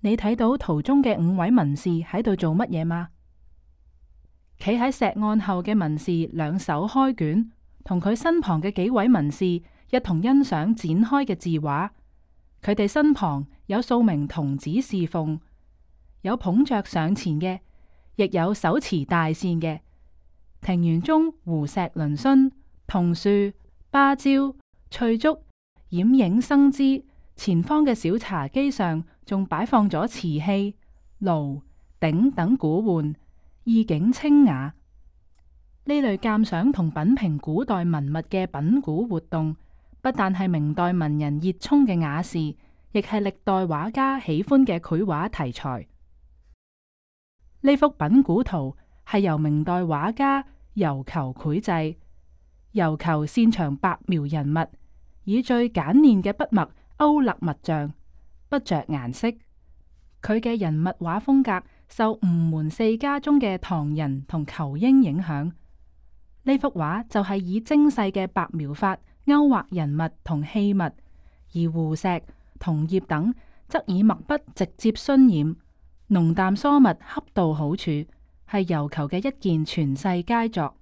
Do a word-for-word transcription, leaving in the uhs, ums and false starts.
你睇到圖中嘅五位文士喺度做乜嘢嗎？企喺石案後嘅文士兩手開卷，同佢身旁嘅幾位文士一同欣賞展開嘅字畫。佢哋身旁有數名童子侍奉，有捧着上前嘅，亦有手持大扇嘅。庭園中湖石嶙峋，桐樹、芭蕉、翠竹掩映生姿。前方嘅小茶几上仲擺放咗瓷器、爐、鼎等古玩，意境清雅。呢類鑑賞同品評古代文物嘅品古活動，不但係明代文人熱衷嘅雅事，亦係歷代畫家喜歡嘅繪畫題材。呢幅品古圖係由明代畫家尤求繪製。尤求擅長白描人物，以最簡練嘅筆墨勾勒物象，不着顏色。佢嘅人物畫風格受吳門四家中嘅唐人同仇英影響。呢幅畫就係以精細嘅白描法勾畫人物同器物，而湖石、桐葉等則以墨筆直接渲染，濃淡疏密恰到好處，係尤求嘅一件傳世佳作。